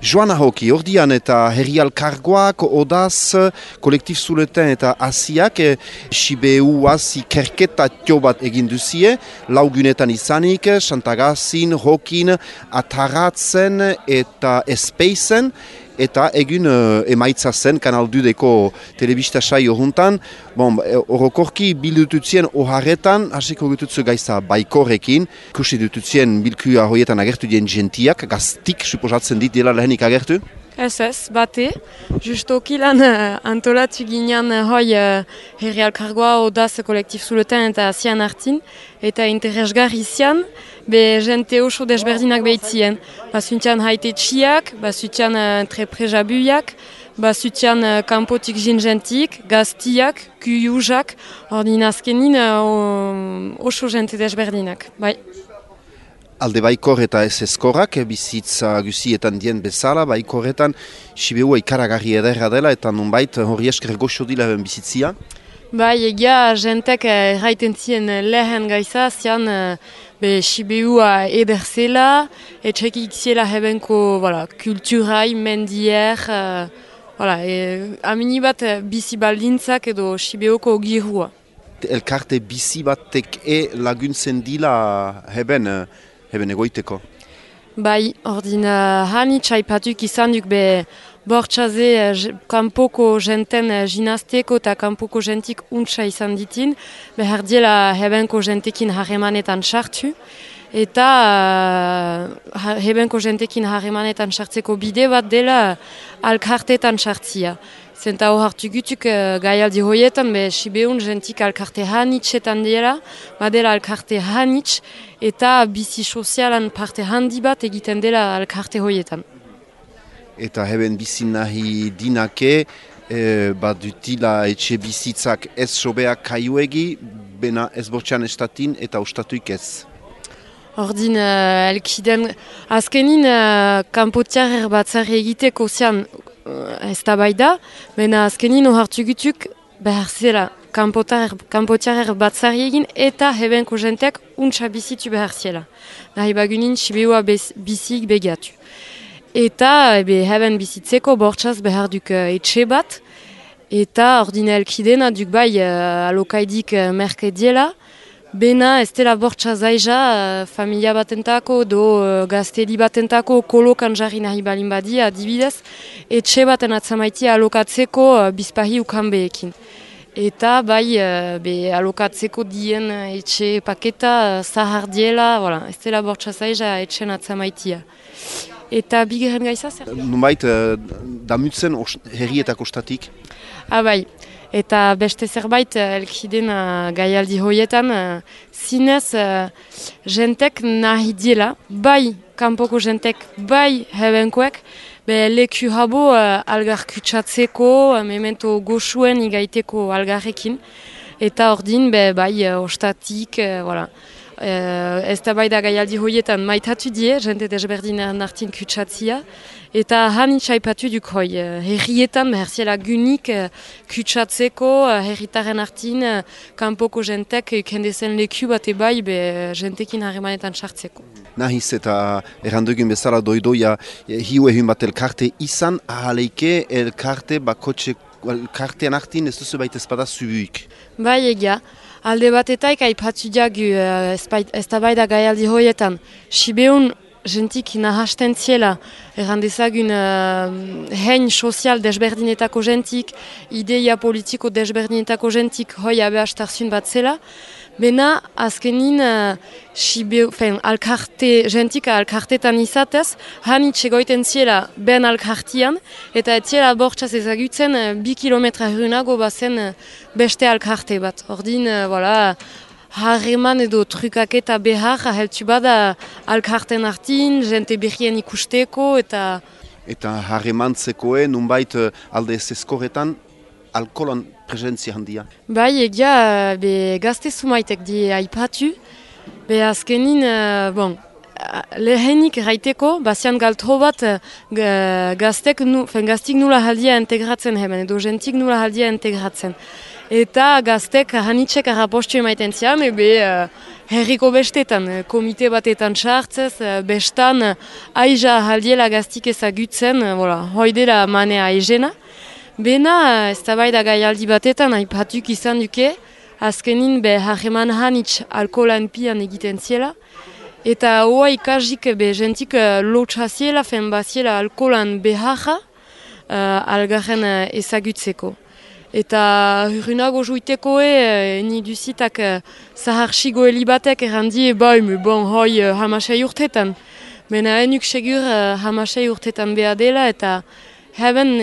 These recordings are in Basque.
Joana Hoki, ordian eta herrialkargoak, odaz, kolektif zuleten eta asiak, Sibeuaz ikerketa bat egin duzie, laugunetan izanik, Santagazin, Hokin, Ataratzen eta Espeizen, eta egun emaitza zen Kanal 2-deko telebista saio juntan. Orokorki bildututzien oharretan, hasiko gututzu gaiza baikorrekin, ikusi dututzien bilkua hoietan agertu dien gentiak, gaztik, suposatzen dit dela lehenik agertu? Ez, bate. Justoki lan antolatu ginean hoi herrialkargoa odaz kolektif zuleten eta zian hartin, eta interesgarri zian, be jente oso desberdinak behitzien. Bazutian haite txiak, bazutian treprejabuiak, bazutian kanpotik jingentik, gaztiak, kuyuzak, ordin azkenin oso jente desberdinak, bai. Alde baikor eta ez eskorrak, bizitza guzietan dien bezala, baikorretan Sibeua ikaragarri ederra dela eta nunbait hori esker goxo dila bizitzia? Bai, egia jentek erraiten zien lehen gaiza, zian Sibeua ederzela, etxekik ziela hebenko kulturai, mendier, amini bat bizi baldintzak edo Sibeuko girua. Elkarte bizi batek laguntzen dila heben egoiteko? Bai, ordin hanitz aipatuk izan duk bortxaze kanpoko jenten jinazteko eta kanpoko jentik untsa izan ditin, behar diela hebenko jentekin harremanetan sartu, eta hebenko jentekin harremanetan sartzeko bide bat dela alkartetan sartzia. Zenta hor hartu gutuk gaialdi hoietan, Sibeun jentik alkarte hanitzetan dela, badela alkarte hanitz, eta bizi sozialan parte handi bat egiten dela alkarte hoietan. Eta heben bizi nahi dinake, dutila etxe bizitzak ez sobeak kaiuegi, bena ez bortxan estatin eta ostatuik ez. Ordin, elkiden, azkenin kanpotiarer batzari egiteko zian ez da bai da, bena azkenin ohartu gutuk behar zela kanpotiarer batzari egin eta hebenko jenteak untsa bizitu behar zela. Nahi bagunin Sibeua bizik begiatu. Eta heben bizitzeko bortxaz behar duk etxe bat, eta ordine elkidena duk bai alokaidik merkediela, bena ez dela bortxaz aiza familia batentako, do gaztedi batentako kolokan jarri nahi balin badia, adibidez, etxe baten atzamaitia alokatzeko bizpahi ukanbeekin. Eta bai alokatzeko dien etxe paketa zahar diela, ez dela bortxaz aiza etxen atzamaitia. Eta bigeren gaiza zer? Nunbait, damutzen herrietako statik? Bai, eta beste zerbait elkiden gaialdi hoietan, zinez jentek nahi diela, bai kanpoko jentek, bai hebenkoek, leku habo algar kutsatzeko, memento goxuen igaiteko algarrekin, eta ordin bai ostatik, ez da bai da gaialdi hoietan maitatu die, jente desberdinen artin kutsatzia, eta hanitz aipatu duk hoi, herrietan behar ziela gunik kutsatzeko, herritaren artin, kanpoko jentek kendezen leku bat bai jentekin harremanetan sartzeko. Nahiz eta errandugun bezala doidoia hiu ehun bat elkarte izan, ahaleike elkarte elkartean artin ez duzu baita espada zubuik. Bai egia. Alde batetaik aipatu diagu ez da bai da gaialdi hoietan. Sibeun jentik nahasten ziela, errandezagun hein sozial desberdinetako jentik, ideia politiko desberdinetako jentik hoi abeastarzun bat zela, bena azkenin jentik alkartetan izatez, hanitz egoiten ziela ben alkartian, eta ez ziela bortxaz ezagutzen 2 kilometra hurrunago bazen beste alkarte bat. Ordin, harreman edo trukaketa behar aheltu bada alkarten artin, jente berrien ikusteko eta... Eta harremantzekoen, nunbait alde ez eskorretan, alkoholan presentzia handia? Bai, egia, gazte zumaitek di aipatu, azkenin, lehenik raiteko, bazian galtro bat gaztik nula haldia integratzen hemen, edo jentik nula haldia integratzen. Eta gaztek hanitzek arrapostu emaiten zian, herriko bestetan, komite batetan sartzez, bestan aiza haldiela gaztik ezagutzen, hoidela manea aizena. Bena, ez da bai da gaialdi batetan, aipatuk izan duke, azkenin harreman hanitz alkoholan pian egiten ziela, eta hoa ikasik jentik lotxaziela, fen baziela alkoholan beharra algarren ezagutzeko. Eta hurrunago juitekoe, ni duzitak zaharxigo helibatek errandi, hoi hamasei urtetan. Bena enuk segur hamasei urtetan beha dela, eta heben,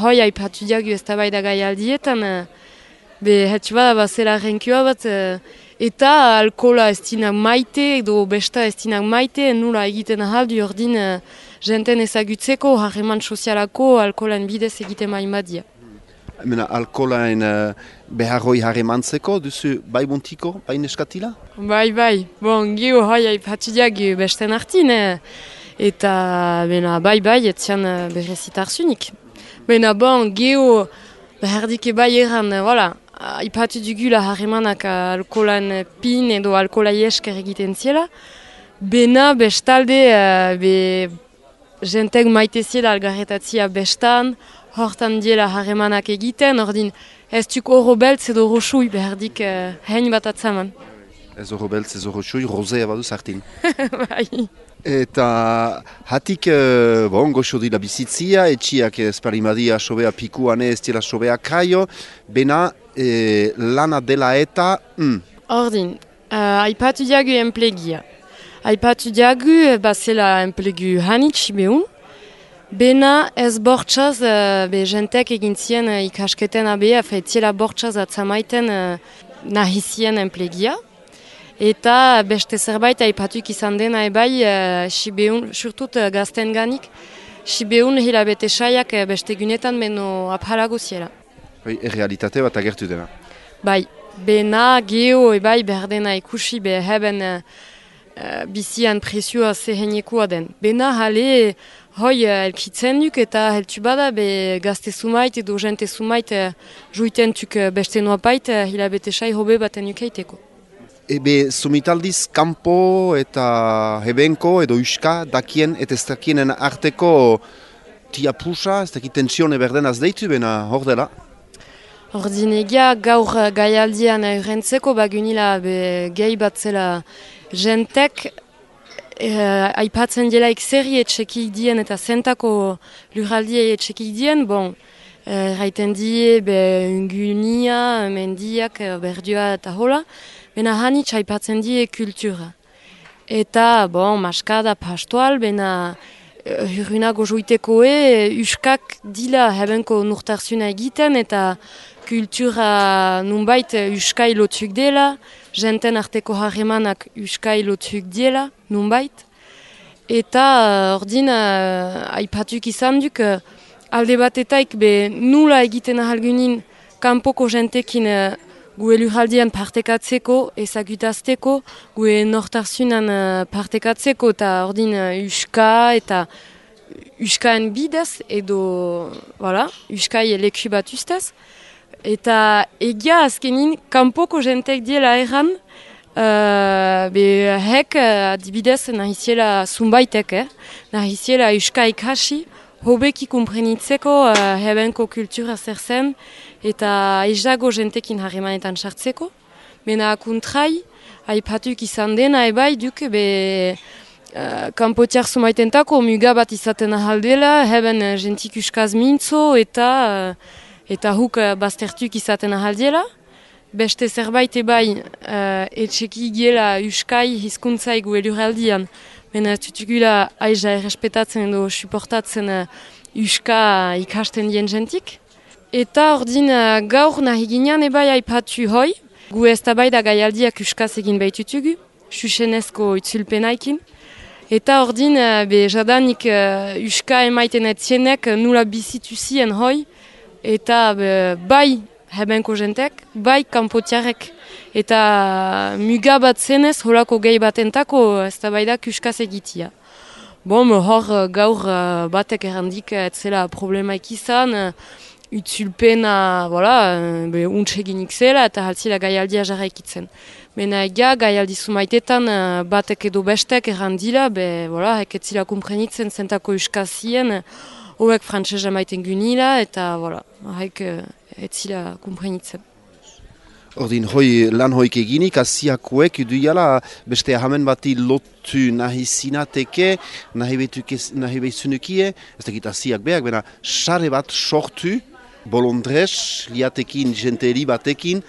hoi haipatu diagu ez da bai da gaialdietan, hetsu bada bazela renkioa bat, eta alkohola ez dinak maite, edo besta ez dinak maite, nula egiten ahaldu ordin jenten ezagutzeko, harreman sozialako alkoholan bidez egiten maimadia. Alkoholain beharroi harremantzeko, duzu bai bontiko, bai neskatila? Bai, geho hoi haipatu diagu besten hartin, eta bai, etzian berrezitarzunik. Geho behardike bai erran, ipatu dugula harremanak alkoholan pin edo alkoholai esker egiten ziela. Bena bestalde jentek maite ziela algarretatzia bestan, hortan diela harremanak egiten, ordin ez duk oro beltz edo roxui behardik hein bat atzaman. Ez oro beltz, ez oro roxui, rozea badu zartin. Bai. Eta hatik goxo dila bizitzia, etxiak esparimadia sobea pikuane ez dira sobea kaio, bena lana dela eta... Ordin, aipatu diagu enplegia. Aipatu diagu, bazela enplegu hanitz behun, bena ez bortxaz, jentek egin zien ikasketen abea, etziela bortxaz atzamaiten nahizien enplegia. Eta beste zerbait aipatuk izan dena ebai, sibeun, surtut gazten ganik, sibeun hilabete saiak beste gunetan beno aphalago ziela. Realitate bat agertu dena. Bai, bena geho ebai berdena ikusi heben bizian presioa zehenekua den. Bena hale hoi elkitzen duk eta heltu bada gazte sumait edo jente sumait juiten tuk beste nuapait hilabete sai hobe baten ukeiteko. Ebe sumitaldiz kanpo eta hebenko edo uska dakien eta ez dakienen arteko tia pusa, ez dakit tensione berdenaz deitu bena hor dela? Ordin egia gaur gaialdian eurentzeko bagunila gehi bat zela jentek aipatzen delaik zerri etxekik dien eta zentako lurraldiei etxekik dien, raiten die ungunia, mendiak, berdua eta hola, bena hanitz aipatzen die kultura. Eta, maskada pastoal, bena hurrunago joitekoe, uskak dila hebenko nurtarzuna egiten, eta kultura nunbait uskai lotzuk dela, jenten arteko harremanak uskai lotzuk dela, nunbait. Eta ordin aipatuk izan duk, alde batetaik nula egiten ahalgunin kanpoko jentekin gue lurraldian partekatzeko, ezagutazteko, gue nortarzunan partekatzeko, eta ordin uska eta uskaen bidez, edo, uskai leku bat ustez. Eta egia azkenin, kanpoko jentek diela erran, hek adibidez nahiziela zumbaitek, nahiziela uska ikasi, hobeki kumprenitzeko hebenko kultura zer zen, eta ezago jentekin harremanetan sartzeko. Bena kontrai, aipatuk izan dena ebai duk, kanpotiar zumaitentako muga bat izaten ahaldela, heben jentik uskaz mintzo eta huk baztertuk izaten ahaldela. Beste zerbait ebai etxeki giela uskai hizkuntzai gu elurraldian, bena tutugula aiza errespetatzen edo suportatzen uska ikasten dien jentik. Eta ordin gaur nahi ginean ebai aipatu hoi, gu ez da bai da gaialdiak uskaz egin behitutugu, susenezko itzulpenaikin. Eta ordin jadanik uska emaiten etzienek nula bizitu zien hoi, eta bai hebenko jentek, bai kanpotiarek. Eta muga bat zenez, holako gehi batentako ez da bai da uskaz egitia. Hor gaur batek errandik etzela problemaik izan, utzulpena, untseginik zela eta haltzila gaialdia jarraikitzen. Mena egia, gai aldizu maitetan, batek edo bestek errandila, voilà, eketzila kumprenitzen zentako uskazien, hoek frantzesa maiten gunila, eta, voilà, etzila kumprenitzen. Ordin, lan hoik eginik, asiakoek duiala beste ahamen bati lotu nahi zinateke, nahi behizunukie, ez dakit asiak behak, bena sare bat sortu, bolondrez, liatekin, jenteri batekin,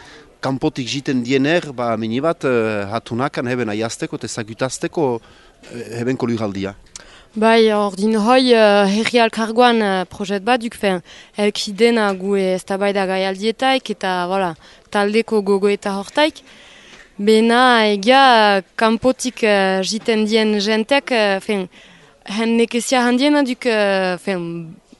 kanpotik jiten diener, mini bat hatunakan heben aiazteko, ezagutazteko heben kolugaldia. Bai, ordin herri alkargoan projet bat duk, elkidena gu eztabaida gai aldietaik eta voilà, taldeko gogo eta hortaik. Bena egia kanpotik jiten dien jentek, hen nekezia handiena duk,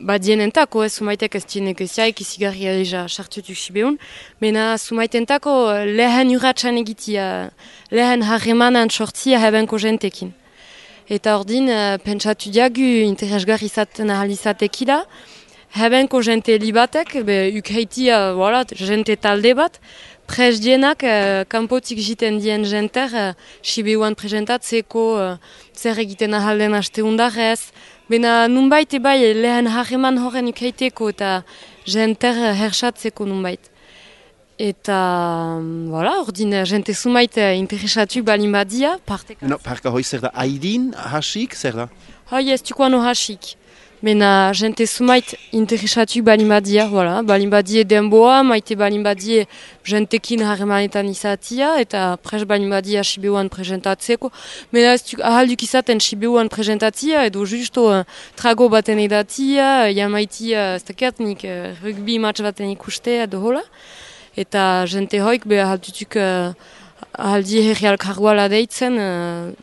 badienentako, sumaitek ez dien nekeziaik izigarri alija sartutuk sibeun. Bena sumaitentako lehen urratxan egitia, lehen harremanan sortzia hebenko jentekin. Eta ordin, pentsatu diagu interesgarri izaten ahal izatekila. Hebenko jente libatek, ukheitia, voilà, jente talde bat, prez dienak, kanpotik jiten dien jenter, Sibeuan presentatzeko, zer egiten ahal den asteundarrez. Bena nunbait ebai lehen harreman horren ukheiteko eta jenter hersatzeko nunbait. Eta, voilà, ordin, jente sumait interesatu balin badia, parteka. No, parka hoi zer da, haidin, hasik, zer da? Hoi ez dukoano hasik. Mena jente sumait interesatu balin badia, voilà, balin badie denboa, maite balin badie jentekin harremanetan izatia, eta pres balin badia Sibeuan presentatzeko. Mena ez ahalduk izaten Sibeuan presentatzia, edo justo trago baten edatia, jamaitia, ez dakiat nik rugby match baten ikustea, edo hola. Eta jente hoik ahaldutuk ahaldi herri alkargoala deitzen,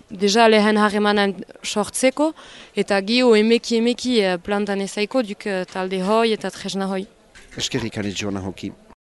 deja lehen harremanan sortzeko, eta gio emeki plantan ezaiko duk talde hoi eta tresna hoi. Eskerrik ane joana hoki.